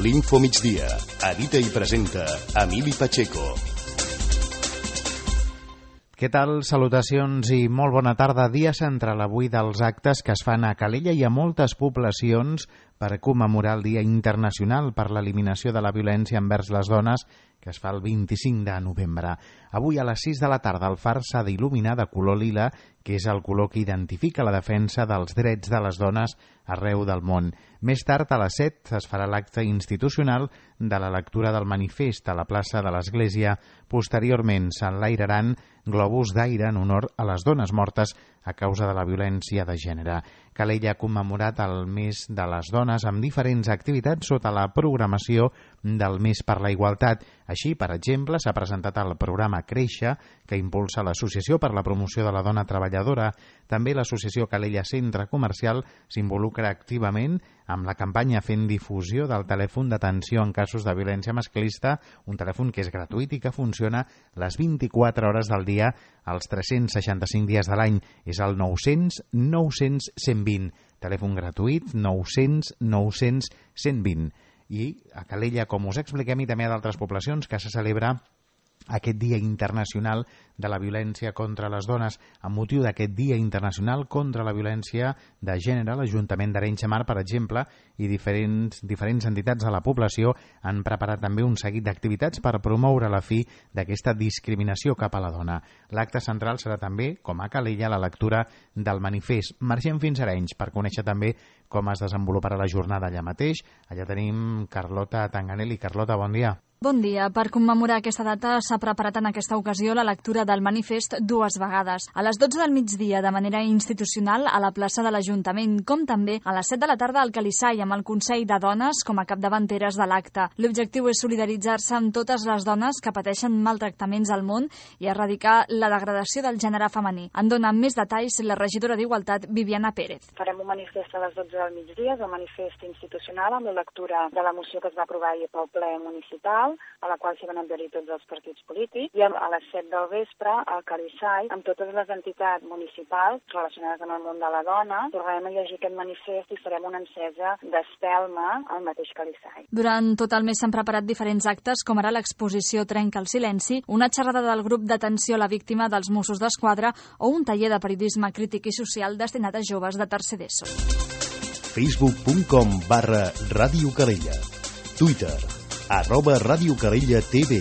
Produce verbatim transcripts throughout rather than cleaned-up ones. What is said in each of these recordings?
L'Info Migdia. Edita i presenta Emili Pacheco. Què tal? Salutacions i molt bona tarda. Dia central avui dels actes que es fan a Calella i a moltes poblacions per commemorar el Dia Internacional per l'Eliminació de la Violència envers les Dones, que es fa el vint-i-cinc de novembre. Avui a les sis de la tarda el far s'ha d'il·luminar de color lila, que és el color que identifica la defensa dels drets de les dones arreu del món. Més tard, a les set, es farà l'acte institucional de la lectura del manifest a la plaça de l'Església. Posteriorment, s'enlairaran globus d'aire en honor a les dones mortes a causa de la violència de gènere. Calella ha commemorat el mes de les dones amb diferents activitats sota la programació del Mes per la Igualtat. Així, per exemple, s'ha presentat el programa Créixer, que impulsa l'Associació per la Promoció de la Dona Treballadora. També l'Associació Calella Centre Comercial s'involucra activament amb la campanya fent difusió del telèfon d'atenció en casos de violència masclista, un telèfon que és gratuït i que funciona les vint-i-quatre hores del dia, els tres-cents seixanta-cinc dies de l'any. És el nou-cents nou-cents cent vint. Telèfon gratuït nou-cents nou-cents cent vint. I a Calella, com us expliquem, i també a d'altres poblacions, que se celebra aquest Dia Internacional de la Violència contra les Dones. Amb motiu d'aquest Dia Internacional contra la Violència de Gènere, l'Ajuntament d'Arenys de Mar, per exemple, i diferents, diferents entitats de la població han preparat també un seguit d'activitats per promoure la fi d'aquesta discriminació cap a la dona. L'acte central serà també, com a Calella, la lectura del manifest. Marxem fins a Arenys per conèixer també com es desenvoluparà la jornada allà mateix. Allà tenim Carlota Tanganelli. Carlota, bon dia. Bon dia. Per commemorar aquesta data s'ha preparat en aquesta ocasió la lectura del manifest dues vegades. A les dotze del migdia, de manera institucional, a la plaça de l'Ajuntament, com també a les set de la tarda al Calissai, amb el Consell de Dones com a capdavanteres de l'acte. L'objectiu és solidaritzar-se amb totes les dones que pateixen maltractaments al món i erradicar la degradació del gènere femení. En dona més detalls la regidora d'Igualtat, Viviana Pérez. Farem un manifest a les dotze del migdia, és el manifest institucional amb la lectura de la moció que es va aprovar ahir pel ple municipal, a la qual s'hi van adherir tots els partits polítics, i a les set del vespre al Calissai, amb totes les entitats municipals relacionades amb el món de la dona, tornarem a llegir aquest manifest i farem una encesa d'espelma al mateix Calissai. Durant tot el mes s'han preparat diferents actes, com ara l'exposició Trenca el silenci, una xerrada del grup d'atenció a la víctima dels Mossos d'Esquadra o un taller de periodisme crític i social destinat a joves de tercer d'ESO. facebook punt com barra Ràdio Calella. Twitter arroba Ràdio Calella T V.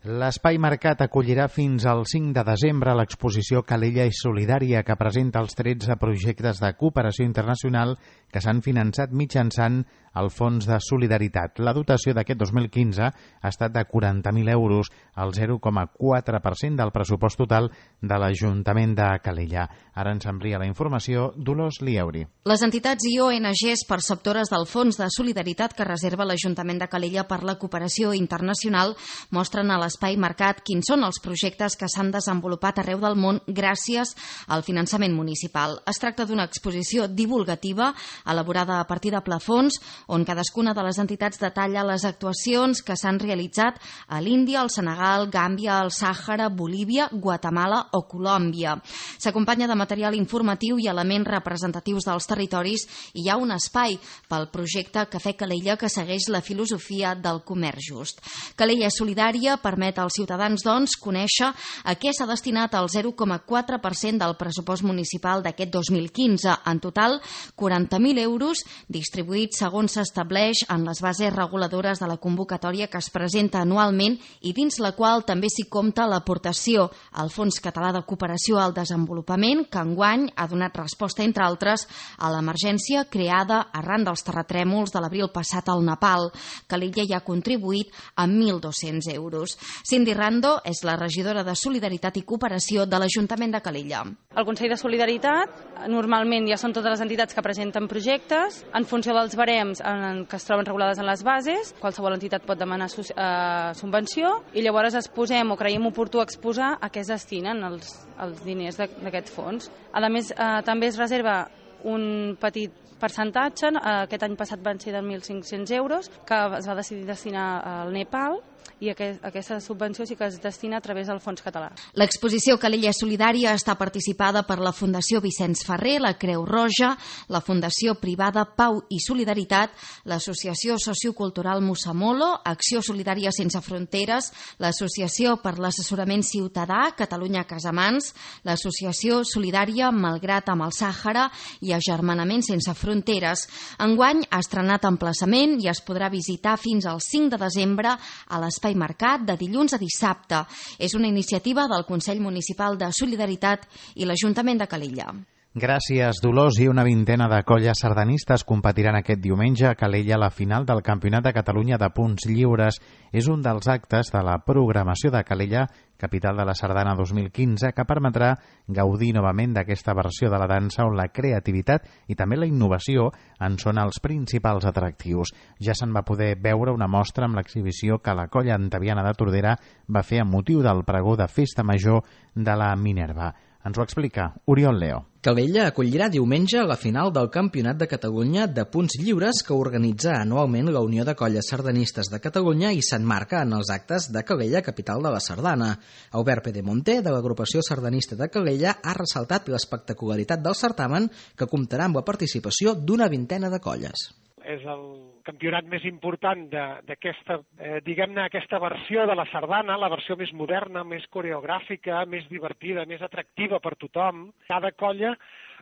L'Espai Mercat acollirà fins al cinc de desembre l'exposició Calella és Solidària, que presenta els tretze projectes de cooperació internacional que s'han finançat mitjançant el Fons de Solidaritat. La dotació d'aquest dos mil quinze ha estat de quaranta mil euros, el zero coma quatre per cent del pressupost total de l'Ajuntament de Calella. Ara ens amplia la informació Dolors Lieuri. Les entitats i O N Ges perceptores del Fons de Solidaritat que reserva l'Ajuntament de Calella per la cooperació internacional mostren a l'Espai Mercat quins són els projectes que s'han desenvolupat arreu del món gràcies al finançament municipal. Es tracta d'una exposició divulgativa elaborada a partir de plafons on cadascuna de les entitats detalla les actuacions que s'han realitzat a l'Índia, el Senegal, Gàmbia, el Sàhara, Bolívia, Guatemala o Colòmbia. S'acompanya de material informatiu i elements representatius dels territoris i hi ha un espai pel projecte Cafè Calella que segueix la filosofia del comerç just. Calella Solidària permet als ciutadans, doncs, conèixer a què s'ha destinat el zero coma quatre per cent del pressupost municipal d'aquest dos mil quinze. En total, quaranta mil euros distribuïts segons s'estableix en les bases reguladores de la convocatòria que es presenta anualment i dins la qual també s'hi compta l'aportació al Fons Català de Cooperació al Desenvolupament, que enguany ha donat resposta, entre altres, a l'emergència creada arran dels terratrèmols de l'abril passat al Nepal. Calella hi ha contribuït amb mil dos-cents euros. Cindy Rando és la regidora de Solidaritat i Cooperació de l'Ajuntament de Calella. El Consell de Solidaritat normalment ja són totes les entitats que presenten projectes. En funció dels barems en que es troben regulades en les bases, qualsevol entitat pot demanar eh, subvenció i llavors exposem o creiem oportú exposar a què es destinen els, els diners d'aquest fons. A més, eh, també es reserva un petit percentatge, aquest any passat van ser de mil cinc-cents euros, que es va decidir destinar al Nepal, i aquest, aquesta subvenció sí que es destina a través del Fons Català. L'exposició Calella Solidària està participada per la Fundació Vicenç Ferrer, la Creu Roja, la Fundació Privada Pau i Solidaritat, l'Associació Sociocultural Musamolo, Acció Solidària Sense Fronteres, l'Associació per l'Assessorament Ciutadà, Catalunya Casamans, l'Associació Solidària Malgrat amb el Sàhara i Agermanament Sense Fronteres. Enguany ha estrenat emplaçament i es podrà visitar fins al cinc de desembre a l'Espai Mercat de dilluns a dissabte. És una iniciativa del Consell Municipal de Solidaritat i l'Ajuntament de Calella. Gràcies, Dolors. I una vintena de colles sardanistes competiran aquest diumenge a Calella a la final del Campionat de Catalunya de Punts Lliures. És un dels actes de la programació de Calella, capital de la Sardana dos mil quinze, que permetrà gaudir novament d'aquesta versió de la dansa on la creativitat i també la innovació en són els principals atractius. Ja se'n va poder veure una mostra amb l'exhibició que la colla antaviana de Tordera va fer amb motiu del pregó de Festa Major de la Minerva. Ens ho explica Oriol Leo. Calella acollirà diumenge la final del Campionat de Catalunya de Punts Lliures que organitza anualment la Unió de Colles Sardanistes de Catalunya i s'enmarca en els actes de Calella, capital de la Sardana. Albert Pedemonte, de l'agrupació sardanista de Calella, ha ressaltat l'espectacularitat del certamen que comptarà amb la participació d'una vintena de colles. És el campionat més important d'aquesta, eh, diguem-ne, aquesta versió de la sardana, la versió més moderna, més coreogràfica, més divertida, més atractiva per tothom. Cada colla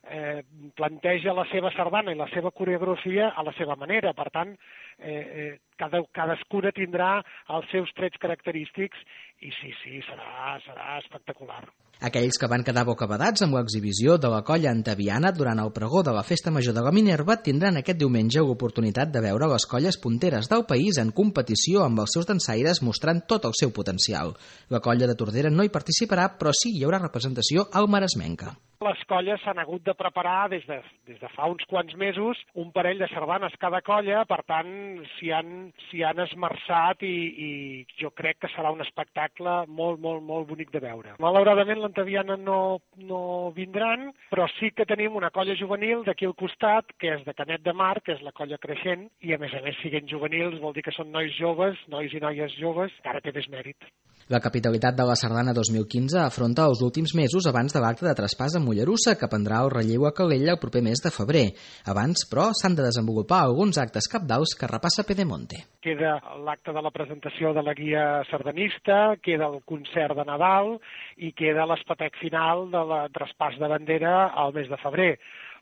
eh, planteja la seva sardana i la seva coreografia a la seva manera. Per tant, eh, eh, cada, cadascuna tindrà els seus trets característics i sí, sí, serà, serà espectacular. Aquells que van quedar bocabadats amb l'exhibició de la colla antaviana durant el pregó de la Festa Major de la Minerva tindran aquest diumenge l'oportunitat de veure les colles punteres del país en competició amb els seus dansaires mostrant tot el seu potencial. La colla de Tordera no hi participarà, però sí hi haurà representació al Maresmenca. Les colles s'han hagut de preparar des de, des de fa uns quants mesos un parell de sardanes cada colla, per tant s'hi han, s'hi han esmerçat i, i jo crec que serà un espectacle molt, molt, molt bonic de veure. Malauradament l'antaviana no, no vindran, però sí que tenim una colla juvenil d'aquí al costat, que és de Canet de Mar, que és la colla creixent, i a més a més, siguent juvenils, vol dir que són nois joves, nois i noies joves, que ara té més mèrit. La capitalitat de la Sardana dos mil quinze afronta els últims mesos abans de l'acte de traspàs a Mollerussa, que prendrà el relleu a Calella el proper mes de febrer. Abans, però, s'han de desenvolupar alguns actes cabdals que repassa Pedemonte. Queda l'acte de la presentació de la guia sardanista, queda el concert de Nadal i queda l'espetec final de la traspàs de bandera al mes de febrer.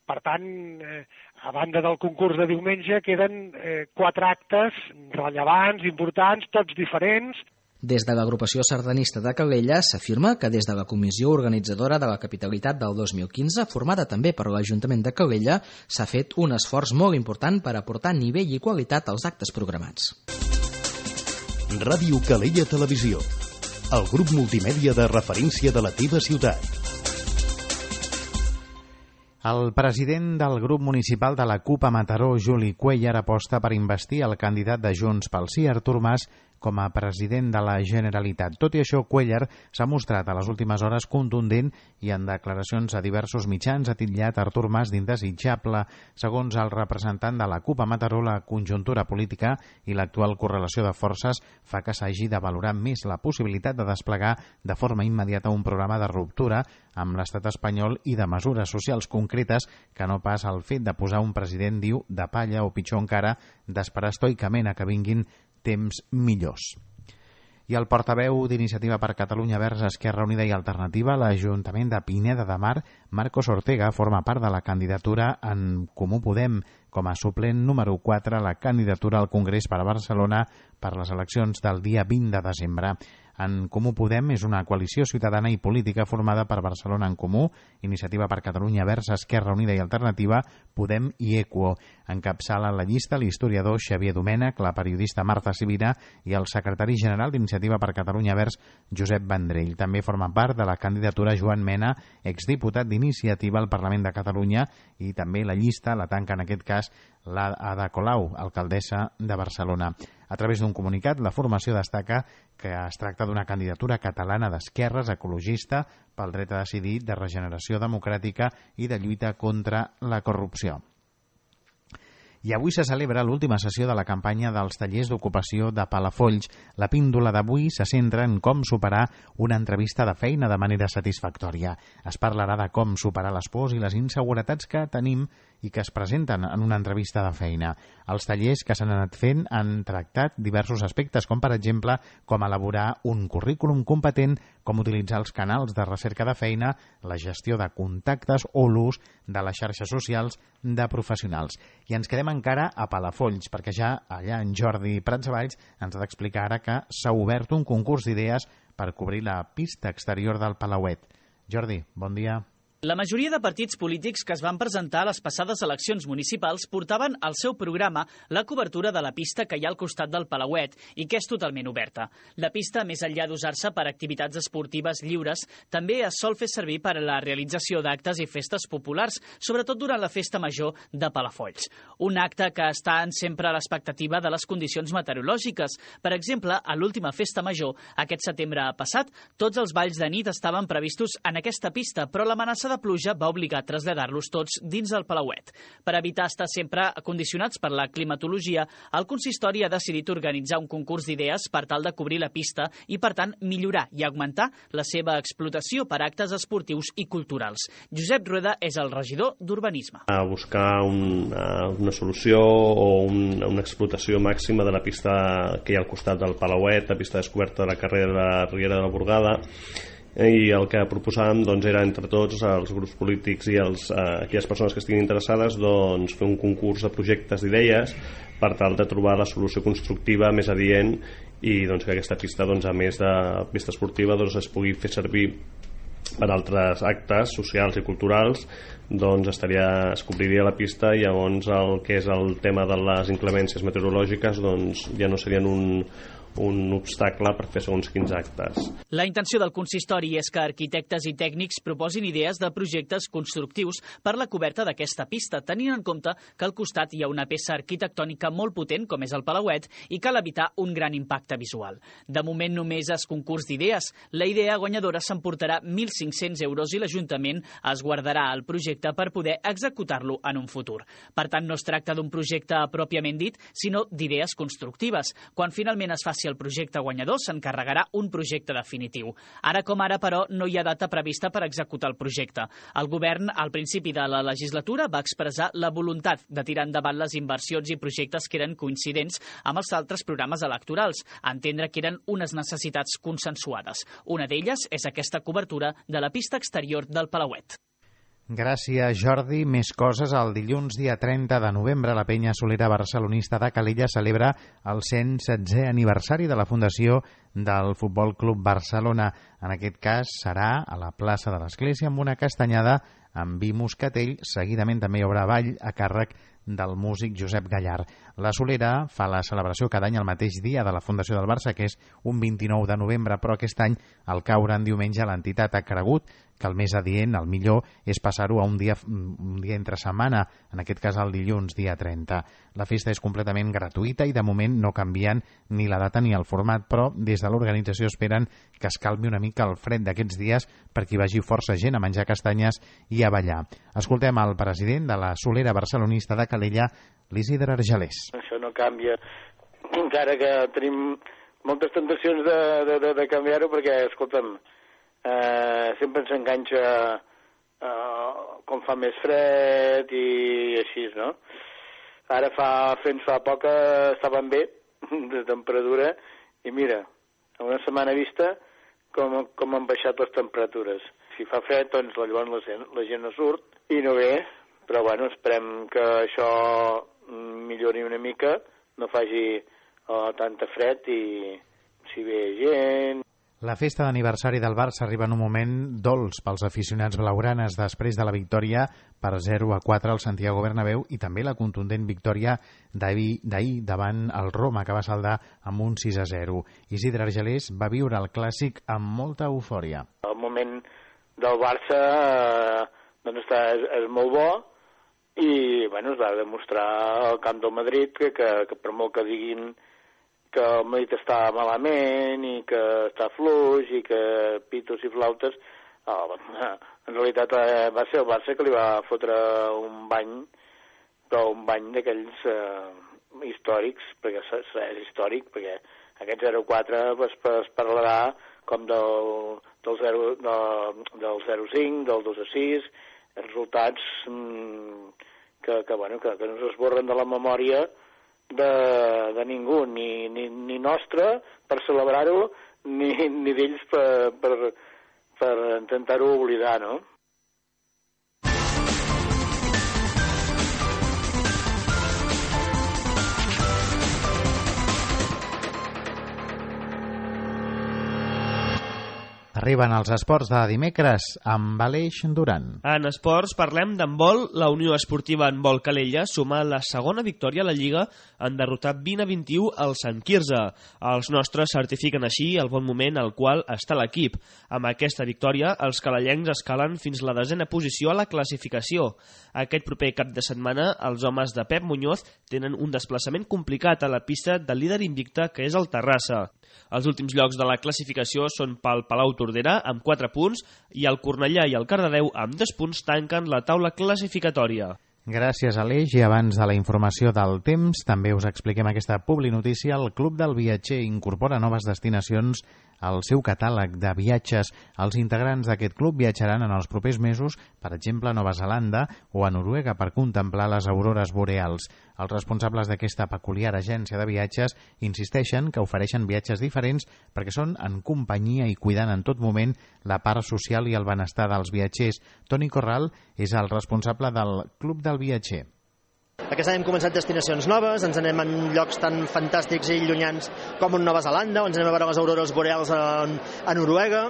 Per tant, eh, a banda del concurs de diumenge, queden eh, quatre actes rellevants, importants, tots diferents. Des de l'agrupació sardanista de Calella s'afirma que des de la comissió organitzadora de la capitalitat del dos mil quinze, formada també per l'Ajuntament de Calella, s'ha fet un esforç molt important per aportar nivell i qualitat als actes programats. Ràdio Calella Televisió, el grup multimèdia de referència de la teva ciutat. El president del grup municipal de la CUP a Mataró, Juli Cuellar, aposta per investir el candidat de Junts pel Sí, Artur Mas, com a president de la Generalitat. Tot i això, Cuellar s'ha mostrat a les últimes hores contundent i en declaracions a diversos mitjans ha titllat Artur Mas d'indesitjable. Segons el representant de la CUP a Mataró, la conjuntura política i l'actual correlació de forces fa que s'hagi de valorar més la possibilitat de desplegar de forma immediata un programa de ruptura amb l'estat espanyol i de mesures socials concretes que no pas el fet de posar un president, diu, de palla o pitjor encara, d'esperar estoicament a que vinguin temps millors. I el portaveu d'Iniciativa per Catalunya Verds, Esquerra Unida i Alternativa, l'Ajuntament de Pineda de Mar, Marcos Ortega, forma part de la candidatura en Comú Podem com a suplent número quatre a la candidatura al Congrés per a Barcelona per les eleccions del dia vint de desembre. En Comú Podem és una coalició ciutadana i política formada per Barcelona en Comú, Iniciativa per Catalunya Verds, Esquerra Unida i Alternativa, Podem i Equo. Encapçala la llista l'historiador Xavier Domènech, la periodista Marta Sibina i el secretari general d'Iniciativa per Catalunya Verds, Josep Vendrell. També forma part de la candidatura Joan Mena, exdiputat d'Iniciativa al Parlament de Catalunya, i també la llista la tanca en aquest cas l'Ada Colau, alcaldessa de Barcelona. A través d'un comunicat, la formació destaca que es tracta d'una candidatura catalana d'esquerres, ecologista, pel dret a decidir, de regeneració democràtica i de lluita contra la corrupció. I avui se celebra l'última sessió de la campanya dels tallers d'ocupació de Palafolls. La píndola d'avui se centra en com superar una entrevista de feina de manera satisfactòria. Es parlarà de com superar les pors i les inseguretats que tenim i que es presenten en una entrevista de feina. Els tallers que s'han anat fent han tractat diversos aspectes, com per exemple com elaborar un currículum competent, com utilitzar els canals de recerca de feina, la gestió de contactes o l'ús de les xarxes socials de professionals. I ens quedem encara a Palafolls, perquè ja allà en Jordi Pratsavalls ens ha d'explicar ara que s'ha obert un concurs d'idees per cobrir la pista exterior del Palauet. Jordi, bon dia. La majoria de partits polítics que es van presentar a les passades eleccions municipals portaven al seu programa la cobertura de la pista que hi ha al costat del Palauet i que és totalment oberta. La pista, més enllà d'usar-se per activitats esportives lliures, també es sol fer servir per a la realització d'actes i festes populars, sobretot durant la festa major de Palafolls. Un acte que està sempre a l'expectativa de les condicions meteorològiques. Per exemple, a l'última festa major, aquest setembre passat, tots els balls de nit estaven previstos en aquesta pista, però l'amenaça de de pluja va obligar a traslladar-los tots dins del Palauet. Per evitar estar sempre condicionats per la climatologia, el consistori ha decidit organitzar un concurs d'idees per tal de cobrir la pista i, per tant, millorar i augmentar la seva explotació per actes esportius i culturals. Josep Rueda és el regidor d'Urbanisme. A buscar una, una solució o un, una explotació màxima de la pista que hi ha al costat del Palauet, la pista descoberta de la carrera de la Riera de la Burgada, i el que proposàvem doncs, era entre tots els grups polítics i els, eh, aquelles persones que estiguin interessades doncs, fer un concurs de projectes d'idees per tal de trobar la solució constructiva més adient i doncs, que aquesta pista, doncs, a més de pista esportiva, doncs, es pugui fer servir per altres actes socials i culturals. Doncs estaria, es cobriria la pista i llavors el que és el tema de les inclemències meteorològiques doncs, ja no serien un un obstacle per fer segons quins actes. La intenció del consistori és que arquitectes i tècnics proposin idees de projectes constructius per la coberta d'aquesta pista, tenint en compte que al costat hi ha una peça arquitectònica molt potent, com és el Palauet, i cal evitar un gran impacte visual. De moment només és concurs d'idees. La idea guanyadora s'emportarà mil cinc-cents euros i l'Ajuntament es guardarà el projecte per poder executar-lo en un futur. Per tant, no es tracta d'un projecte pròpiament dit, sinó d'idees constructives. Quan finalment es faci el projecte guanyador, s'encarregarà un projecte definitiu. Ara com ara, però, no hi ha data prevista per executar el projecte. El govern, al principi de la legislatura, va expressar la voluntat de tirar endavant les inversions i projectes que eren coincidents amb els altres programes electorals, a entendre que eren unes necessitats consensuades. Una d'elles és aquesta cobertura de la pista exterior del Palauet. Gràcies, Jordi. Més coses. El dilluns, dia trenta de novembre, la penya solera barcelonista de Calella celebra el cent setzè aniversari de la fundació del Futbol Club Barcelona. En aquest cas serà a la plaça de l'Església amb una castanyada amb vi moscatell. Seguidament també hi haurà ball a càrrec del músic Josep Gallard. La Solera fa la celebració cada any el mateix dia de la fundació del Barça, que és un vint-i-nou de novembre, però aquest any, al caure en diumenge, l'entitat ha cregut que el més adient, el millor, és passar-ho a un dia, un dia entre setmana, en aquest cas el dilluns, dia trenta. La festa és completament gratuïta i de moment no canvien ni la data ni el format, però des de l'organització esperen que es calmi una mica el fred d'aquests dies perquè hi vagi força gent a menjar castanyes i a ballar. Escoltem el president de la Solera barcelonista de Calella, l'Isidre Argelers. Això no canvia, encara que tenim moltes tentacions de, de, de, de canviar-ho, perquè, escolta'm, eh, sempre ens enganxa eh, com fa més fred i així, no? Ara fa, fins fa poc estaven bé de temperatura i mira, a una setmana vista com, com han baixat les temperatures. Si fa fred, doncs llavors la gent, la gent no surt i no ve, però bueno, esperem que això millori una mica, no faci oh, tanta fred i si ve gent. La festa d'aniversari del Barça arriba en un moment dolç pels aficionats blaugranes després de la victòria per zero a quatre al Santiago Bernabéu i també la contundent victòria d'ahir davant el Roma, que va saldar amb un sis a zero. Isidre Argelers va viure el clàssic amb molta eufòria. El moment del Barça eh, doncs està, és, és molt bo i bueno, es va demostrar al camp del Madrid que, que, que per molt que diguin que el Madrid està malament i que està fluix i que pitos i flautes, eh, en realitat eh, va ser el Barça que li va fotre un bany, però un un bany d'aquells eh, històrics, perquè és històric, perquè aquest zero quatre es, es parlarà com del, del, zero, del, del zero cinc, del dos a sis, resultats mmm, que, que, bueno, que, que no s'esborren de la memòria de, de ningú, ni, ni, ni nostra per celebrar-ho, ni, ni d'ells per, per, per intentar-ho oblidar, no? Arriben els esports de dimecres amb Aleix Duran. En esports parlem d'handbol. La Unió Esportiva Handbol Calella suma la segona victòria a la Lliga en derrotar vint a vint-i-u al Sant Quirze. Els nostres certifiquen així el bon moment al qual està l'equip. Amb aquesta victòria, els calellencs escalen fins la desena posició a la classificació. Aquest proper cap de setmana, els homes de Pep Muñoz tenen un desplaçament complicat a la pista del líder invicte, que és el Terrassa. Els últims llocs de la classificació són pel Palau Tordera, amb quatre punts, i el Cornellà i el Cardedeu, amb dos punts, tanquen la taula classificatòria. Gràcies, Aleix. I abans de la informació del temps, també us expliquem aquesta publinotícia. El Club del Viatger incorpora noves destinacions al seu catàleg de viatges. Els integrants d'aquest club viatjaran en els propers mesos, per exemple, a Nova Zelanda o a Noruega per contemplar les aurores boreals. Els responsables d'aquesta peculiar agència de viatges insisteixen que ofereixen viatges diferents perquè són en companyia i cuidant en tot moment la part social i el benestar dels viatgers. Toni Corral és el responsable del Club del Viatger. Aquest any hem començat destinacions noves, ens anem en llocs tan fantàstics i llunyans com en Nova Zelanda, on ens anem a veure les aurores boreals a, a Noruega,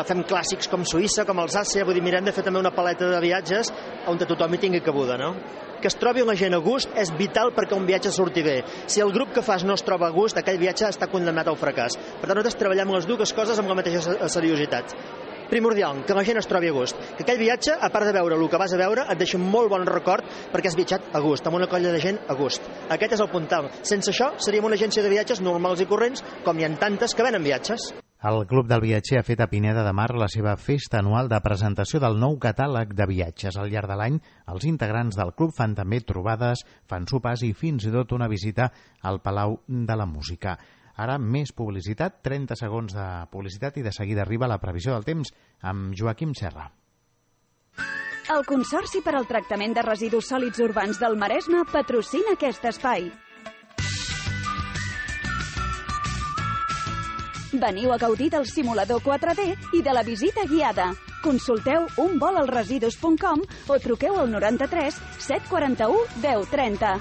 fem clàssics com Suïssa, com Alsàcia, vull dir, mirem de fer també una paleta de viatges on tothom hi tingui cabuda, no? Que es trobi la gent a gust és vital perquè un viatge surti bé. Si el grup que fas no es troba a gust, aquell viatge està condemnat al fracàs. Per tant, nosaltres treballem les dues coses amb la mateixa seriositat. Primordial, que la gent es trobi a gust. Que aquell viatge, a part de veure el que vas a veure, et deixa un molt bon record perquè has viatjat a gust, amb una colla de gent a gust. Aquest és el puntal. Sense això, seríem una agència de viatges normals i corrents, com hi ha tantes que venen viatges. El Club del Viatger ha fet a Pineda de Mar la seva festa anual de presentació del nou catàleg de viatges. Al llarg de l'any, els integrants del club fan també trobades, fan sopars i fins i tot una visita al Palau de la Música. Ara més publicitat, trenta segons de publicitat i de seguida arriba la previsió del temps amb Joaquim Serra. El Consorci per al Tractament de Residus Sòlids Urbans del Maresme patrocina aquest espai. Veniu a gaudir del simulador quatre D i de la visita guiada. Consulteu un vol als residus punt com o truqueu al noranta-tres set quaranta-u deu trenta.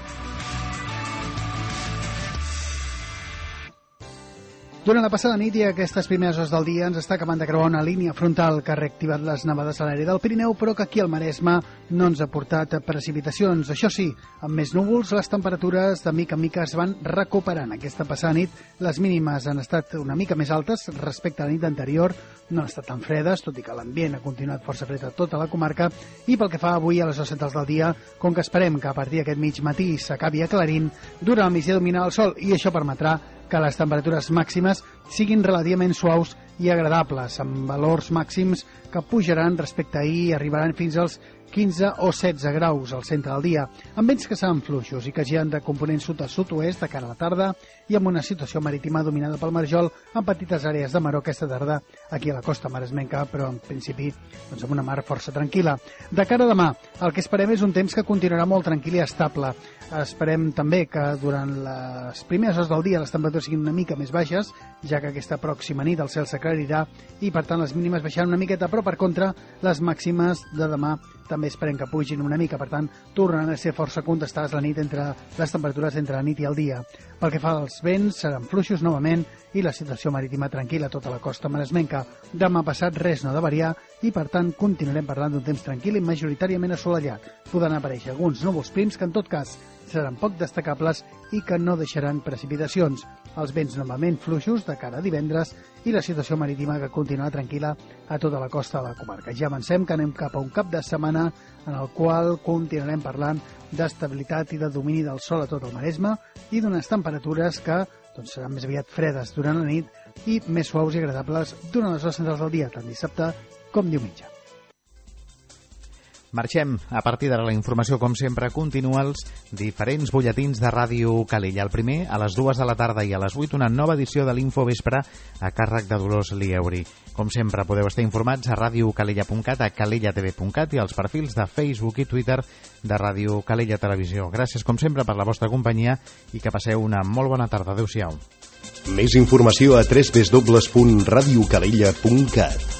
Durant la passada nit i aquestes primeres hores del dia ens està acabant de creuar una línia frontal que ha reactivat les nevades a l'àrea del Pirineu, però que aquí al Maresme no ens ha portat precipitacions. Això sí, amb més núvols, les temperatures de mica en mica es van recuperant. Aquesta passada nit les mínimes han estat una mica més altes respecte a la nit anterior, no han estat tan fredes, tot i que l'ambient ha continuat força fred a tota la comarca, i pel que fa avui a les hores centrals del dia, com que esperem que a partir d'aquest mig matí s'acabi aclarint, durant el migdia dominarà el sol, i això permetrà que les temperatures màximes siguin relativament suaus i agradables, amb valors màxims que pujaran respecte a ahir i arribaran fins als quinze o setze graus al centre del dia, amb vents que seran fluixos i que giren de component sud a sud-oest de cara a la tarda i amb una situació marítima dominada pel marjol amb petites àrees de maró aquesta tarda aquí a la costa maresmenca, però en principi doncs amb una mar força tranquil·la. De cara a demà, el que esperem és un temps que continuarà molt tranquil i estable. Esperem també que durant les primeres hores del dia les temperatures siguin una mica més baixes, ja que aquesta pròxima nit el cel s'aclarirà i per tant les mínimes baixaran una miqueta, però per contra les màximes de demà també esperem que pugin una mica, per tant tornaran a ser força contestades la nit entre les temperatures entre la nit i el dia. Pel que fa als vents, seran fluixos novament i la situació marítima tranquil·la a tota la costa maresmenca. Demà passat res no ha de variar i per tant continuarem parlant d'un temps tranquil i majoritàriament assolellat. Podran aparèixer alguns núvols prims que en tot cas seran poc destacables i que no deixaran precipitacions. Els vents novament fluixos de cara a divendres i la situació marítima que continuarà tranquil·la a tota la costa de la comarca. Ja avancem que anem cap a un cap de setmana en el qual continuarem parlant d'estabilitat i de domini del sol a tot el Maresme i d'unes temperatures que doncs, seran més aviat fredes durant la nit i més suaus i agradables durant les hores centrals del dia, tant dissabte com diumenge. Marxem. A partir d'ara la informació, com sempre, continua els diferents butlletins de Ràdio Calella. El primer, a les dues de la tarda i a les vuit, una nova edició de l'Infovespre a càrrec de Dolors Lieuri. Com sempre, podeu estar informats a radiocalella punt cat, a calella t v punt cat i als perfils de Facebook i Twitter de Ràdio Calella Televisió. Gràcies, com sempre, per la vostra companyia i que passeu una molt bona tarda. Adéu-siau. Més informació a w w w punt radiocalella punt cat.